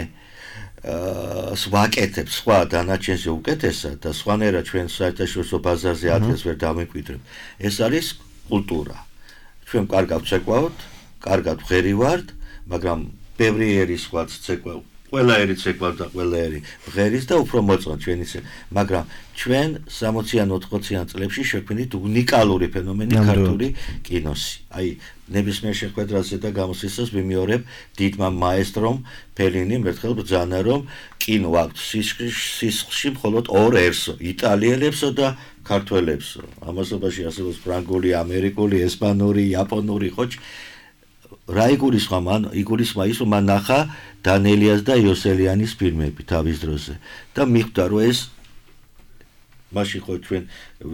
C: ვაკეთებ სხვა დანარჩენზე უკეთესად და სხვანაირად ჩვენ საერთაშორისო ბაზარზე ადგილს ვერ დამიკვიდრებთ ეს არის კულტურა ჩვენ კარგად ვცეკვავთ კარგად ვღერივართ მაგრამ ბევრი ერი სხვა ცეკვავ ყველა ერი ცეკვავ და ყველა ერი ვღერის და უფრო მოწონთ ჩვენი მაგრამ ჩვენ სამოციან ოთხმოციან წლებში შექმნით უნიკალური ფენომენი ქართული კინოსი აი ნებისმიერ შეხვედრაზე და გამოსვლისას ვიმეორებ დიდმა მაესტრომ ფელინიმ ერთხელ ბრძანა რომ კინო აქვს სისხლში მხოლოდ ორერსო იტალიელებსო და ქართველებსო ამასობაში არსებობს ფრანგული ამერიკული ესპანური იაპონური ხოჭ რა იგულისხმა მან იგულისხმა ის რომ მან ნახა დანელიას და იოსელიანის ფილმები თავის დროზე და მიხვდა რომ ეს მაშინ ხო ჩვენ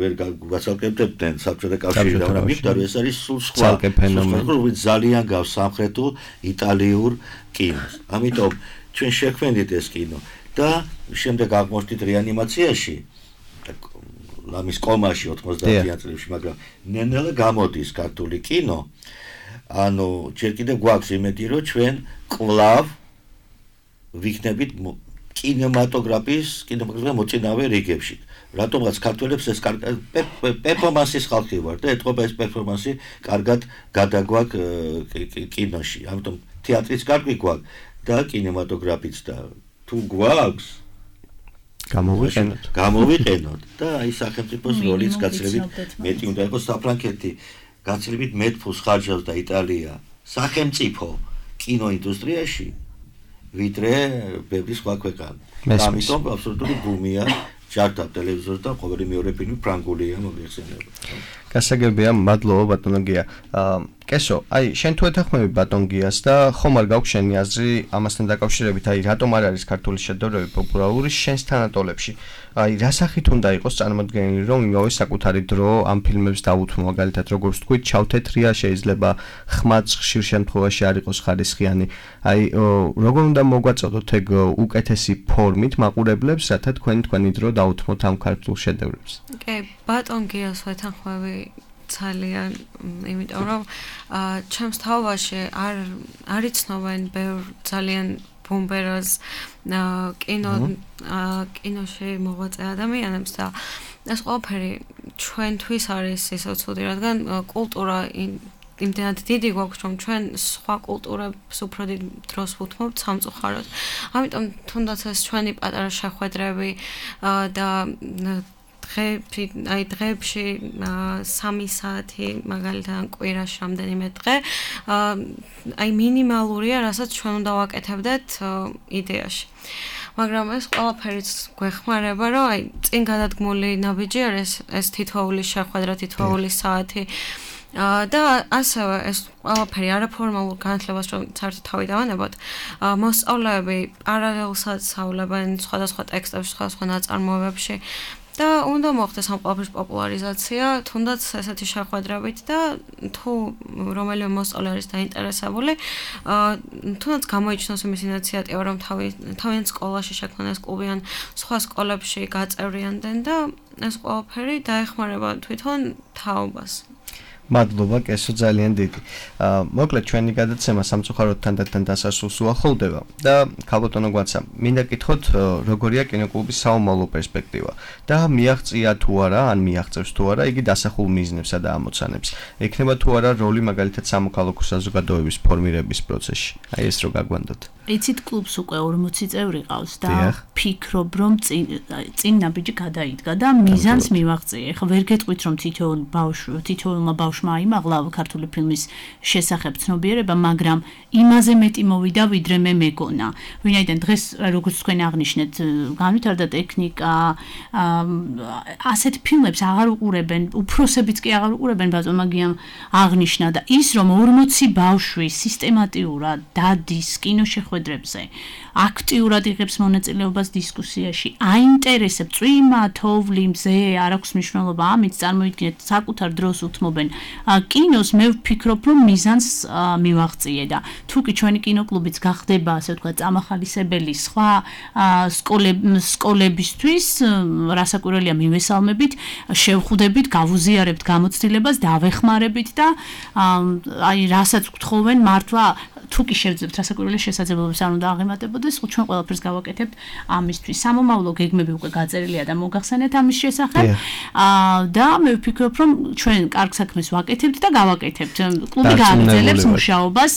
C: ვერ გვაცალკებდებდნენ საბჭოთა კავშირში და მაგრამ მიხვდა რომ ეს არის სულ სხვა ფენომენი ძალიან გავს სამხრეთულ იტალიურ კინოს ამიტომ ჩვენ შექმნით ეს კინო და შემდეგ აღმოჩნდით რეანიმაციაში ლამის კომაში ოცდაათიან წლებში მაგრამ ნენელა გამოდის ქართული კინო ანუ ჯერ კიდევ გვაქვს იმედი რომ ჩვენ კვლავ ვიქნებით კინემატოგრაფის, კინემატოგრაფის მოწინავე რიგებში. რატომღაც ქართველებს ეს პერფორმანსის ხალხი ვარ და ეთყობა ეს პერფორმანსი კარგად გადაგვაქვს კინოში. ამიტომ თეატრიც კარგი გვაქვს და კინემატოგრაფიც და თუ გვაქვს
B: გამოვიყენოთ.
C: გამოვიყენოთ და აი სახელმწიფოს როლიც გაცილებით მეტი უნდა იყოს საფრანგეთი გაცილებით მეტ ფულს ხარჯავს და იტალია სახელმწიფო კინოინდუსტრიაში ვიდრე ბევრი სხვა ქვეყანა. ამიტომ აბსოლუტური ბუმია ჯარდა ტელევიზორს და ყოველი მეორე ფილმი ფრანგულია მოიხსენიება.
B: გასაგებია, მადლობა ბატონო გია. კესო, აი შენ თუ ეთანხმები ბატონ გიას და ხომ არ გაქვს შენი აზრი ამასთან დაკავშირებით, აი რატომ არ არის ქართული შედევრები პოპულარული შენს თანატოლებში? აი რა სახით უნდა იყოს წარმოდგენილი, რომ იმავე საკუთარი დრო ამ ფილმებს დავუთმო, მაგალითად როგორც თქვით, ჩავთეთრია, შეიძლება ხმაც ხშირ შემთხვევაში არ იყოს ხარისხიანი. აი როგორ უნდა მოგვაწოდოთ ეგ უკეთესი ფორმით მაყურებლებს, რათა თქვენ თქვენი დრო დავუთმოთ ამ ქართულ შედევრებს?
E: კი, ბატონ გიას ვეთანხმები ძალიან, იმიტომ რომ ჩემს თავაში არ არ იცნობენ ბევრ ძალიან ბომბერას კინო კინოში მოღვაწე ადამიანებს და ეს ყველაფერი ჩვენთვის არის ისე ცუდი, რადგან კულტურა იმდენად დიდი გვაქვს, რომ ჩვენ სხვა კულტურებს უფრო დიდ დროს ვუთმობთ სამწუხაროდ. ამიტომ თუნდაც ეს ჩვენი პატარა შეხვედრები და დღეებში, აი დღეებში სამი საათი მაგალითად კვირაში რამდენიმე დღე აი მინიმალურია, რასაც ჩვენ უნდა ვაკეთებდეთ იდეაში. მაგრამ ეს ყველაფერიც გვეხმარება, რომ აი წინ გადადგმული ნაბიჯი არის ეს თითოეული შეხვედრა, თითოეული საათი და ასევე ეს ყველაფერი არაფორმალურ განათლებას რომ საერთოდ თავი დავანებოთ, მოსწავლეები პარალელსაც სწავლებენ სხვადასხვა ტექსტებში, სხვადასხვა ნაწარმოებებში და უნდა მოხდეს ამ ყველაფრის პოპულარიზაცია, თუნდაც ესეთი შეხვედრებით და თუ რომელიმე მოსწავლე არის დაინტერესებული, თუნდაც გამოიჩნოს იმის ინიციატივა, რომ თავიანთ სკოლაში შექმნან ეს კლუბი ან სხვა სკოლებში გაწევრიანდნენ და ეს ყველაფერი დაეხმარება თვითონ თაობას.
B: მადლობა, კესო ძალიან დიდი. მოკლედ ჩვენი გადაცემა სამწუხაროდ თანდათან დასასრულს უახლოვდება და ქალბატონო გვაცა, მინდა გითხოთ როგორია კინოკლუბის საომალო პერსპექტივა და მიაღწია თუ არა, ან მიაღწევს თუ არა იგი დასახულ მიზნებსა და ამოცანებს. ექნება თუ არა როლი მაგალითად სამოქალაქო საზოგადოების ფორმირების პროცესში. აი ეს რო გაგვანდოთ.
D: იცით კლუბს უკვე ორმოცი წევრი ყავს და ფიქრობ რომ წინ ნაბიჯი გადაიდგა და მიზანს მივაღწია. ეხლა ვერ გეტყვით რომ თითოეულ ბავშვ თითოეულმა ბავშვმა აიმაღლა ქართული ფილმის შესახებ ცნობიერება, მაგრამ იმაზე მეტი მოვიდა ვიდრე მე მეგონა. ვინაიდან დღეს როგორც თქვენ აღნიშნეთ, განვითარდა ტექნიკა, ასეთ ფილმებს აღარ უყურებენ, უფროსებიც კი აღარ უყურებენ, ბატონმა გიამ აღნიშნა და ის რომ ორმოცი ბავშვი სისტემატიურად დადის კინოშეხვედრებზე, აქტიურად იღებს მონაწილეობას დისკუსიაში, აინტერესებს წვიმა, თოვლი, მზე, არ აქვს მნიშვნელობა, ამით წარმოიდგინეთ საკუთარ დროს უთმობენ კინოს, მე ვფიქრობ, რომ მიზანს მივაღწიე და თუ კი ჩვენი კინოკლუბიც გახდება, ასე ვთქვათ, წამახალისებელი სხვა სკოლებისთვის, რასაკვირველია მივესალმებით, შევხვდებით, გავუზიარებთ გამოცდილებას, დავეხმარებით და აი რასაც გთხოვენ მართლა თუ კი შევძლებთ რასაკვირველია შესაძლებლობებს არ უნდა აღემატებოდეს, ჩვენ ყველაფერს გავაკეთებთ ამისთვის. სამომავლო გეგმები უკვე გაწერილია და მოგახსენეთ ამის შესახებ. და მე ვფიქრობ, რომ ჩვენ კარგ საქმეს ვაკეთებთ და გავაკეთებთ. კლუბი გააგრძელებს მუშაობას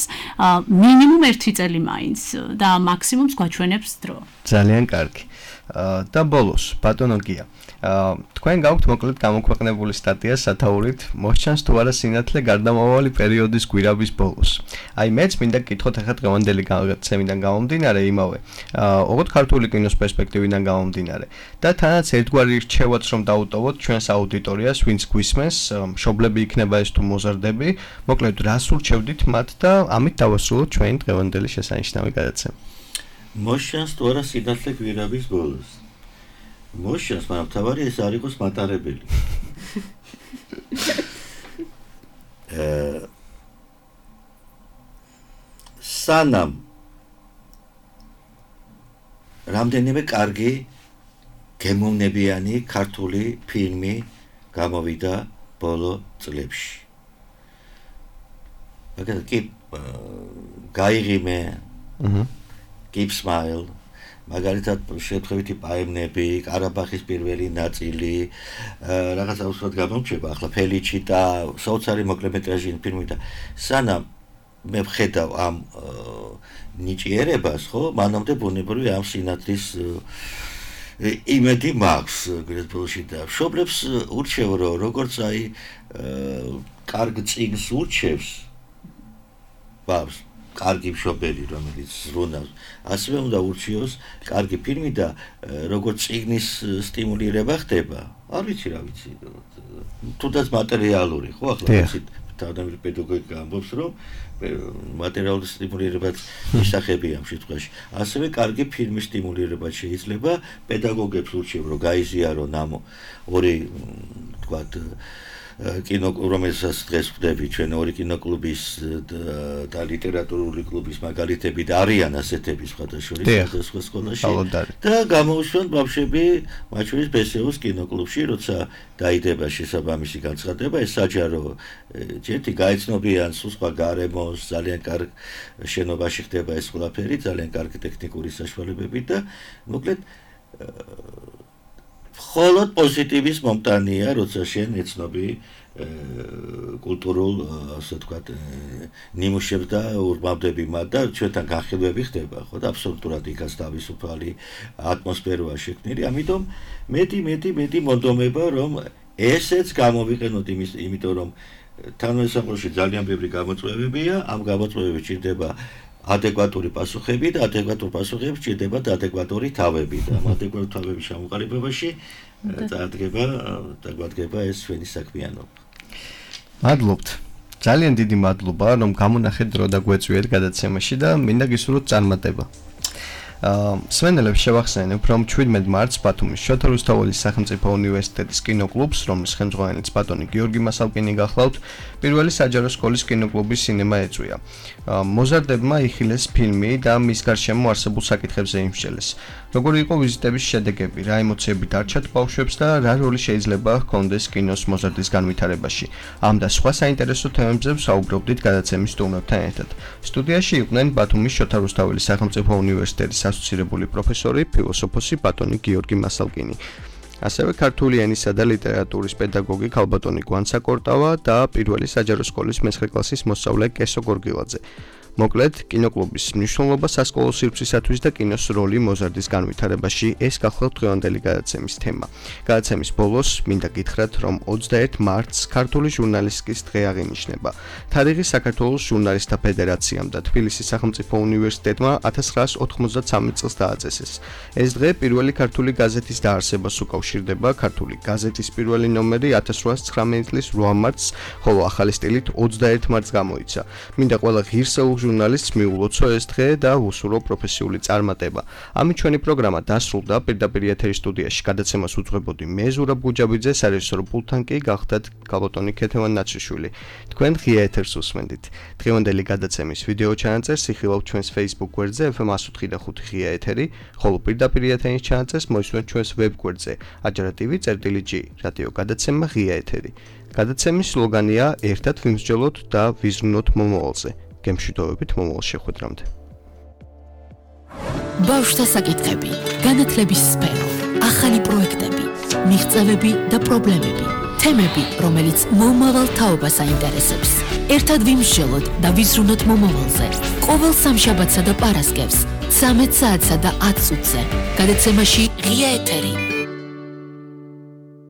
D: მინიმუმ ერთი წელი მაინც და მაქსიმუმს გვაჩვენებს დრო.
B: ძალიან კარგი. და ბოლოს, ბატონო გია, თქვენ გაქვთ მოკლედ გამოქვეყნებული სტატია სათაურით, მოსჩანს თუ არა სინათლე გარდამავალი პერიოდის გვირაბის ბოლოს. აი მეც მინდა გკითხოთ ახლა დღევანდელი გადაცემიდან გამომდინარე იმავე, ოღონდ ქართული კინოს პერსპექტივიდან გამომდინარე და თანაც ერთგვარი რჩევაც რომ დაუტოვოთ ჩვენს აუდიტორიას, ვინც გვისმენს, მშობლები იქნება ეს თუ მოზარდები, მოკლედ რას ურჩევდით მათ და ამით დავასრულოთ ჩვენი დღევანდელი შესანიშნავი გადაცემა.
C: მოსჩანს თუ არა სინათლე გვირაბის ბოლოს. მოსჩანს, მაგრამ თავარი ეს არ იყოს მატარებელი. სანამ რამდენიმე კარგი გემოვნებიანი ქართული ფილმი გამოვიდა ბოლო წლებში. მაგალითად კი გაიღიმე Keep Smile, მაგალითად შეთხევითი პაემნები, ყარაბაღის პირველი ნაწილი, რაღაცა უბრალოდ გამომჩება ახლა ფელიჩიტა, საოცარი მოკლემეტრაჟიანი ფილმი და სანამ მე ვხედავ ამ ნიჭიერებას, ხო, მანამდე ბუნებრივი ამ სინათლის იმედი მაქვს გრეთბოლში და მშობლებს ურჩევ რომ როგორც აი კარგ წიგნს ურჩევს ბაბს კარგი მშობელი რომელიც ზრუნავს ასევე უნდა ურჩიოს კარგი ფილმი და როგორც წიგნის სტიმულირება ხდება არ ვიცი რა ვიცი თუნდაც მატერიალური ხო ახლა ვიცით თავდაპირველი პედაგოგიკა ამბობს რომ მატერიალური სტიმულირებაც ისახებია ამ შემთხვევაში. ასევე კარგი ფილმის სტიმულირებაც შეიძლება პედაგოგებს ურჩევ რომ გაიზიარონ ამ ორი თქვათ კინო რომელსაც დღეს ვხვდები ჩვენ ორი კინოკლუბის და ლიტერატურული კლუბის მაგალითები და არიან ასეთები სხვადასხვა სხვადასხვა სკოლაში და გამოუშვან ბავშვები მათ შორის ბესეოს კინოკლუბში როცა დაიდება შესაბამისი განცხადება ეს საჯარო ჯერთი გაიცნობიან სულ სხვა გარემოს ძალიან კარგ შენობაში ხდება ეს ყველაფერი ძალიან კარგი ტექნიკური საშუალებები და მოკლედ მხოლოდ პოზიტივის მომტანია როცა შენ ეცნობი კულტურულ ასე ვთქვათ ნიმუშებს და ურბავდები მათ და ჩვენთან განხილვები ხდება ხო და აბსოლუტურად იქაც თავისუფალი ატმოსფეროა შექმნილი ამიტომ მეტი მეტი მეტი მონდომება რომ ესეც გამოვიყენოთ იმის იმიტომ რომ თანამესამყროში ძალიან ბევრი გამოწვევებია ამ გამოწვევებში ჭირდება ადეკვატური პასუხები და ადეკვატურ პასუხებს ჭირდება ადეკვატური თავები და ამ ადეკვატურ თავების შემოყალიბებაში წარდგება დაგვადგება ეს ჩვენი საქმიანობა.
B: მადლობთ. ძალიან დიდი მადლობა რომ გამონახეთ დრო და გვეწვიეთ გადაცემაში და მინდა გისურვოთ წარმატება. სვენელებს შევახსენებ, რომ შვიდმეტ მარტს ბათუმის შოთა რუსთაველის სახელმწიფო უნივერსიტეტის კინოკლუბს, რომლის ხელმძღვანელიც ბატონი გიორგი მასალკინი გახლავთ, პირველი საჯარო სკოლის კინოკლუბის სინემა ეწვია. მოზარდებმა იხილეს ფილმი და მის გარშემო არსებულ საკითხებზე იმსჯელეს. როგორი იყო ვიზიტების შედეგები, რა ემოციები დარჩათ ბავშვებს და რა როლი შეიძლება ჰქონდეს კინოს მოზარდის განვითარებაში. ამ და სხვა საინტერესო თემებზე ვსაუბრობდით გადაცემის სტუმრებთან ერთად. სტუდიაში იყვნენ ბათუმის შოთა რუსთაველის სახელმწიფო უნივერსიტეტის ასოცირებული პროფესორი, ფილოსოფოსი ბატონი გიორგი მასალკინი. ასევე ქართული ენისა და ლიტერატურის პედაგოგი ქალბატონი გვანცა კორტავა და პირველი საჯარო სკოლის მეცხრე კლასის მოსწავლე კესო გორგილაძე. მოკლედ, კინოკლუბის მნიშვნელობა სასკოლო სივრცისათვის და კინოს როლი მოზარდის განვითარებაში ეს გახლავთ დღევანდელი გადაცემის თემა. გადაცემის ბოლოს მინდა გითხრათ, რომ ოცდაერთ მარტს ქართული ჟურნალისტიკის დღე აღინიშნება. თარიღი საქართველოს ჟურნალისტთა ფედერაციამ და თბილისის სახელმწიფო უნივერსიტეტმა ათას ცხრაას ოთხმოცდათსამი წელს დააწესეს. ეს დღე პირველი ქართული გაზეთის დაარსებას უკავშირდება. ქართული გაზეთის პირველი ნომერი ათას რვაას ცხრამეტი წლის რვა მარტს, ხოლო ახალი სტილით ოცდაერთ მარტს გამოიცა. მინდა ყველა ღირსეულ ჟურნალისტს მიულოცო ეს დღე და უსურვო პროფესიული წარმატება. ამით ჩვენი პროგრამა დასრულდა. პირდაპირ ეთერის სტუდიაში გადაცემას უძღვებოდი მე ზურაბ გუჯაბიძე, სარეჟისორო პულტთან კი გახდათ გალბატონი ქეთევან ნაჩიშვილი. თქვენ ღია ეთერს უსმენდით. დღევანდელი გადაცემის ვიდეო ჩანაწერს იხილავთ ჩვენს Facebook გვერდზე ეფ ემ εκατო ოთხი და ხუთი ღია ეთერი, ხოლო პირდაპირ ეთერის ჩანაწერს მოისურვებთ ჩვენს ვებ გვერდზე aჯარა.tv წერტილი ჯი რადიო გადაცემა ღია ეთერი. გადაცემის სლოგანია ერთად ვიმსჯელოთ და ვიზრუნოთ მომავალზე. გემშვიდობებით მომავალ შეხვედრამდე.
A: ბავშვთა საკითხები, განათლების სფერო, ახალი პროექტები, მიღწევები და პრობლემები, თემები, რომელიც მომავალ თაობას აინტერესებს. ერთად ვიმსჯელოთ და ვიზრუნოთ მომავალზე. ყოველ სამშაბათსა და პარასკევს, ცამეტ საათსა და ათ წუთზე. გადაცემაში ღია ეთერი.